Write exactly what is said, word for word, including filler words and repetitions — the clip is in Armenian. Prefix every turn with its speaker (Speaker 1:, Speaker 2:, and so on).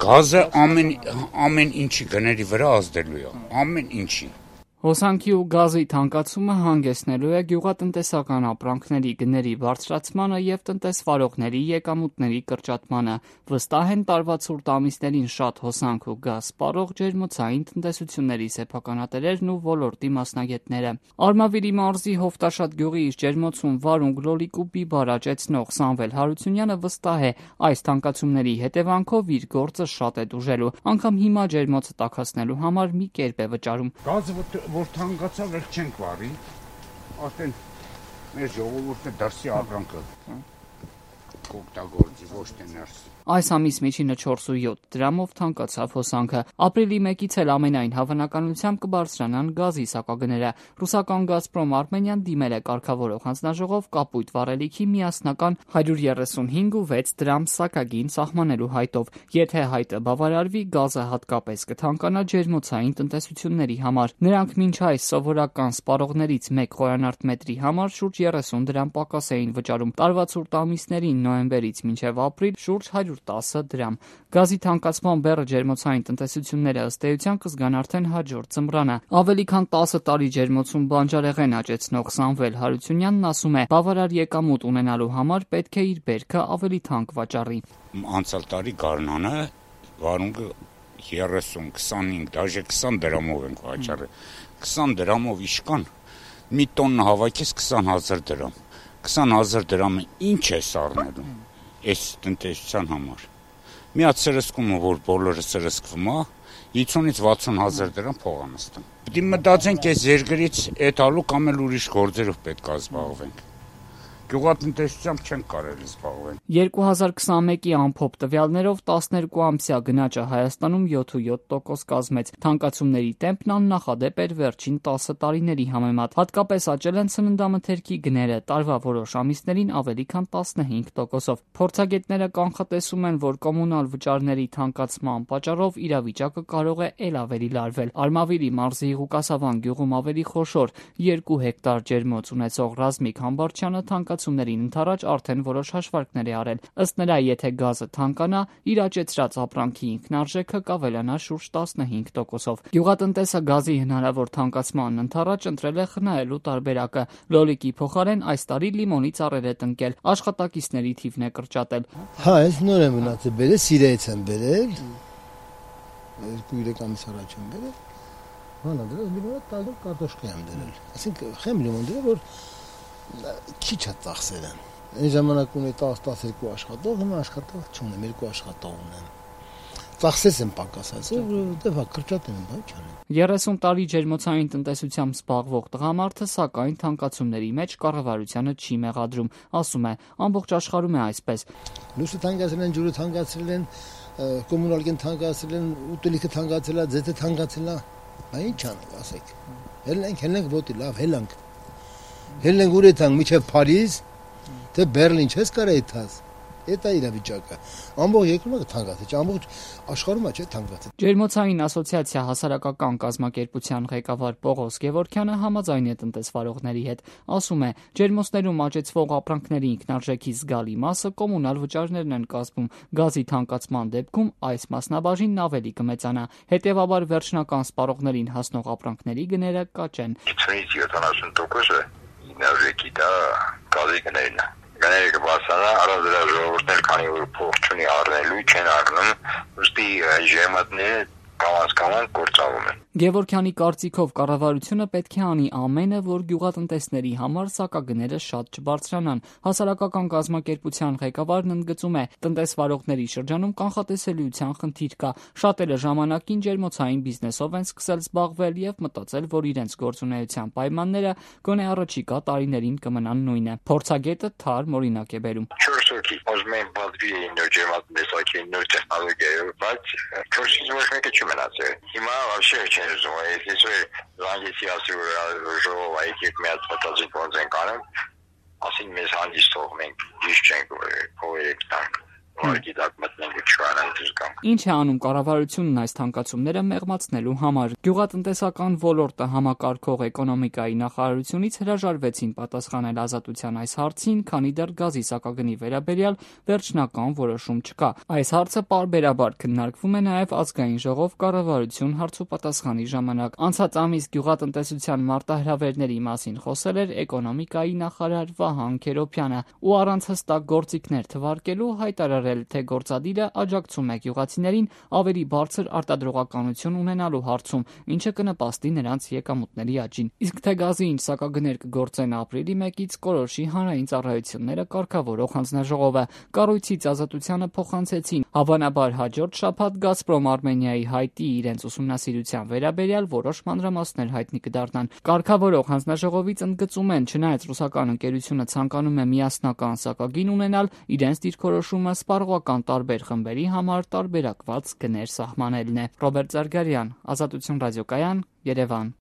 Speaker 1: Գազը ամեն ամեն ինչի գների վրա ազդելու է, ամեն ինչի։
Speaker 2: Հոսանքի ու գազի թանկացումը հանգեցնելու է գյուղատնտեսական ապրանքների գների բարձրացմանը եւ տնտեսվարողների եկամուտների կրճատմանը, վստահ են տարվա ցուրտ ամիսներին շատ հոսանք ու գազ սպառող ջերմոցային տնտեսությունների սեփականատերերն ու ոլորտի մասնագետները։ Արմավիրի մարզի Հովտաշատ գյուղի իր ջերմոցում վարունգ, լոլիկ ու բիբար աճեցնող Սամվել Հարությունյանը վստահ է, այս թանկացումների հետևանքով իր գործը շատ է տուժելու, անգամ հիմա ջերմոցը տաքացնելու համար մի կերպ է վճարում։
Speaker 1: Գազը որ թանկացավ, էլ չենք վարի, արդեն մեր ժողովուրդը դրսի ապրանքը կօգտագործի, ոչ թե ներսի։
Speaker 2: Այս ամիս միջինը չորս ու յոթ դրամով թանկացավ հոսանքը։ Ապրիլի մեկից էլ ամենայն հավանականությամբ կբարձրանան գազի սակագները։ Ռուսական Գազպրոմ Արմենիան դիմել է կարգավորող հանձնաժողով կապույտ վառելիքի միասնական հարյուր երեսունհինգ ու վեց դրամ սակագին սահմանելու հայտով։ Եթե հայտը բավարարվի, գազը հատկապես կթանկանա ջերմոցային տնտեսությունների համար։ Նրանք մինչ այս սովորական սպառողներից մեկ խորանարդ մետրի համար շուրջ երեսուն դրամ պակաս էին վճարում։ Տարվա ցուրտ ամիսներին նոյեմբերից մինչև ապրիլ շուրջ հարյուր տասը դրամ։ Գազի թանկացման բեռը ջերմոցային տնտեսությունները ըստ էության կզգան արդեն հաջորդ ձմռանը։ Ավելի քան տասը տարի ջերմոցում բանջարեղեն աճեցնող Սամվել Հարությունյանն ասում է, բավարար եկամուտ ունենալու համար պետք է իր բերքը ավելի թանկ վաճառի։
Speaker 1: Անցյալ տարի գարնանը վարունգը երեսուն, քսանհինգ, դաժե քսան դրամով ենք վաճառել։ քսան դրամով իշքան մի տոննա հավաքես քսան հազար դրամ։ քսան հազար դրամը ինչ է սառնելու այս տնտեսության համար։ Միած սրսկումը, որ բոլորը սրսկվում է, հիսունից վաթսուն հազար դրամ փող է նստում։ Պետք է մտածենք այս երկրից էթալու կամ էլ ուրիշ գործերով պետք է զբաղվենք։ Գյուղատնտեսությամբ չեն կարելի զբաղվել։
Speaker 2: երկու հազար քսանմեկի ամփոփ տվյալներով տասներկու ամսյա գնաճը Հայաստանում յոթ ու յոթ տոկոս կազմեց։ Թանկացումների տեմպն աննախադեպ էր վերջին տասը տարիների համեմատ։ Հատկապես աճել են սննդամթերքի գները, տարվա որոշ ամիսներին ավելի քան տասնհինգ տոկոսով։ Փորձագետները կանխատեսում են, որ կոմունալ վճարների թանկացման պատճառով իրավիճակը կարող է ել ավելի լարվել։ Արմավիրի մարզի Ղուկասավան գյուղում ավելի խոշոր երկու հեկտար ջերմոց ունեցող Ռազմիկ Համբարձյանը թանկացումներին ընդառաջ արդեն որոշ հաշվարկներ է արել։ Ըստ նրա, եթե գազը թանկանա, իր աճեցրած ապրանքի ինքնարժեքը կավելանա շուրջ տասնհինգ տոկոսով։ Գյուղատնտեսը գազի հնարավոր թանկացման ընդառաջ ընտրել է խնայելու տարբերակը։ Լոլիկի փոխարեն այս տարի լիմոնի ծառեր է տնկել, աշխատակիցների թիվն է կրճատել։
Speaker 3: Հա, այս նոր եմ մնացել, բերել Սիրիայից եմ բերել։ Երկու երեք ամիս առաջ եմ բերել։ Հանա դրա լիմոնը տալու կարտոշկա եմ դրել։ Այսինքն խեմ լիմոն դրել, որ քիչ է ծախսերը։ Այն ժամանակ ունեի տասը տասներկու աշխատող, հիմա աշխատող չունեմ, երկու աշխատող ունեմ։ Ծախսես եմ պակասացել, որովհետև կրճատել եմ, բայց չանեմ։
Speaker 2: երեսուն տարի ջերմոցային տնտեսությամբ զբաղվող տղամարդը սակայն թանկացումների մեջ կառավարությանը չի մեղադրում, ասում է, ամբողջ աշխարհում է այսպես։
Speaker 3: Լույսը թանկացրել են, ջուրը թանկացրել են, կոմունալին թանկացրել են, ուտելիքը թանկացել է, ձեթը թանկացել է, բայց ինչ անենք, ասեք։ Հելնենք, հելնենք ոտի, լավ, հելանք։ Հելնենք ուր եթանք, միջև Փարիզ, թե Բերլին չես կարա եթաս։ Դա իրավիճակը։ Ամբողջ երկրում թանկացել, ամբողջ աշխարհում է չէ թանկացել։
Speaker 2: Ջերմոցային ասոցիացիա հասարակական կազմակերպության ղեկավար Պողոս Գևորգյանը համաձայն է տնտեսվարողների հետ, ասում է, ջերմոցներում աճեցվող ապրանքների ինքնարժեքի զգալի մասը կոմունալ վճարներն են կազմում, գազի թանկացման դեպքում այս մասնաբաժինն ավելի կմեծանա, հետևաբար վերջնական սպառողներին հասնող ապրանքների գները կաճեն։
Speaker 4: հիսունից յոթանասուն տոկոսը ինքնարժեքի դա գազի գներն է։ Գները կբարձրանա, առանց դրա ժողովուրդն էլ քանի որ փող չունի առնելու, չեն առնում, ուստի ջերմատները կամաց-կամաց կործանվում են։
Speaker 2: Գևորգյանի կարծիքով կառավարությունը պետք է անի ամենը, որ գյուղատնտեսների համար սակագները շատ չբարձրանան։ Հասարակական կազմակերպության ղեկավարն ընդգծում է, տնտեսվարողների շրջանում կանխատեսելիության խնդիր կա։ Շատերը ժամանակին ջերմոցային բիզնեսով են սկսել զբաղվել եւ մտածել, որ իրենց գործունեության պայմանները գոնե առաջիկա տարիներին կմնան նույնը։ Փորձագետը թարմ օրինակ է բերում։
Speaker 4: չորս հոգի ուզում են բացվի նոր ջերմատեսակի նոր տեխնոլոգիայով, բայց չորսից ոչ մեկը չմնացել։ Հիմա вообще չեն ուզում, если զանգեցի ասի որ ժողով այգիք միած մտածի ոնց են կանեմ, ասին մեզ հանդիստ թող մենք ճիշտ չենք փողերը տանք։ Ուղղակի դա մտնենք ու չկանանք դժգամ։
Speaker 2: Ինչ է անում կառավարությունն այս թանկացումները մեղմացնելու համար։ Գյուղատնտեսական ոլորտը համակարգող էկոնոմիկայի նախարարությունից հրաժարվեցին պատասխանել Ազատության այս հարցին, քանի դեռ գազի սակագնի վերաբերյալ վերջնական որոշում չկա։ Այս հարցը պարբերաբար քննարկվում է նաև ազգային ժողով կառավարություն հարցուպատասխանի ժամանակ։ Անցած ամիս գյուղատնտեսության մարտահրավերների մասին խոսել էր էկոնոմիկայի նախարար Վահան Քերոբյանը ու առանց հստակ գործիքներ թվարկելու հայտարարել, թե գործադիրը աջակցում է գյուղացիներին ավելի բարձր արտադրողականություն ունենալու հարցում, ինչը կնպաստի նրանց եկամուտների աճին։ Իսկ թե գազի ինչ սակագներ կգործեն ապրիլի մեկից, կորոշի հանրային ծառայությունները կարգավորող հանձնաժողովը։ Կառույցից Ազատությանը փոխանցեցին հավանաբար հաջորդ շաբաթ Գազպրոմ Արմենիայի հայտի իրենց ուսումնասիրության վերաբերյալ որոշ մանրամասներ հայտնի կդառնան։ Կարգավորող հանձնաժողովից ընդգծում են, չնայած ռուսական ընկերությունը ցանկանում է միասնական սակագին ունենալ, իրենց դիրքորոշումը սպառողական տարբեր խմբերի համար տարբերակված գներ սահմանելն է։ Ռոբերտ Զարգարյան, Ազատություն ռադիոկայան, Երևան։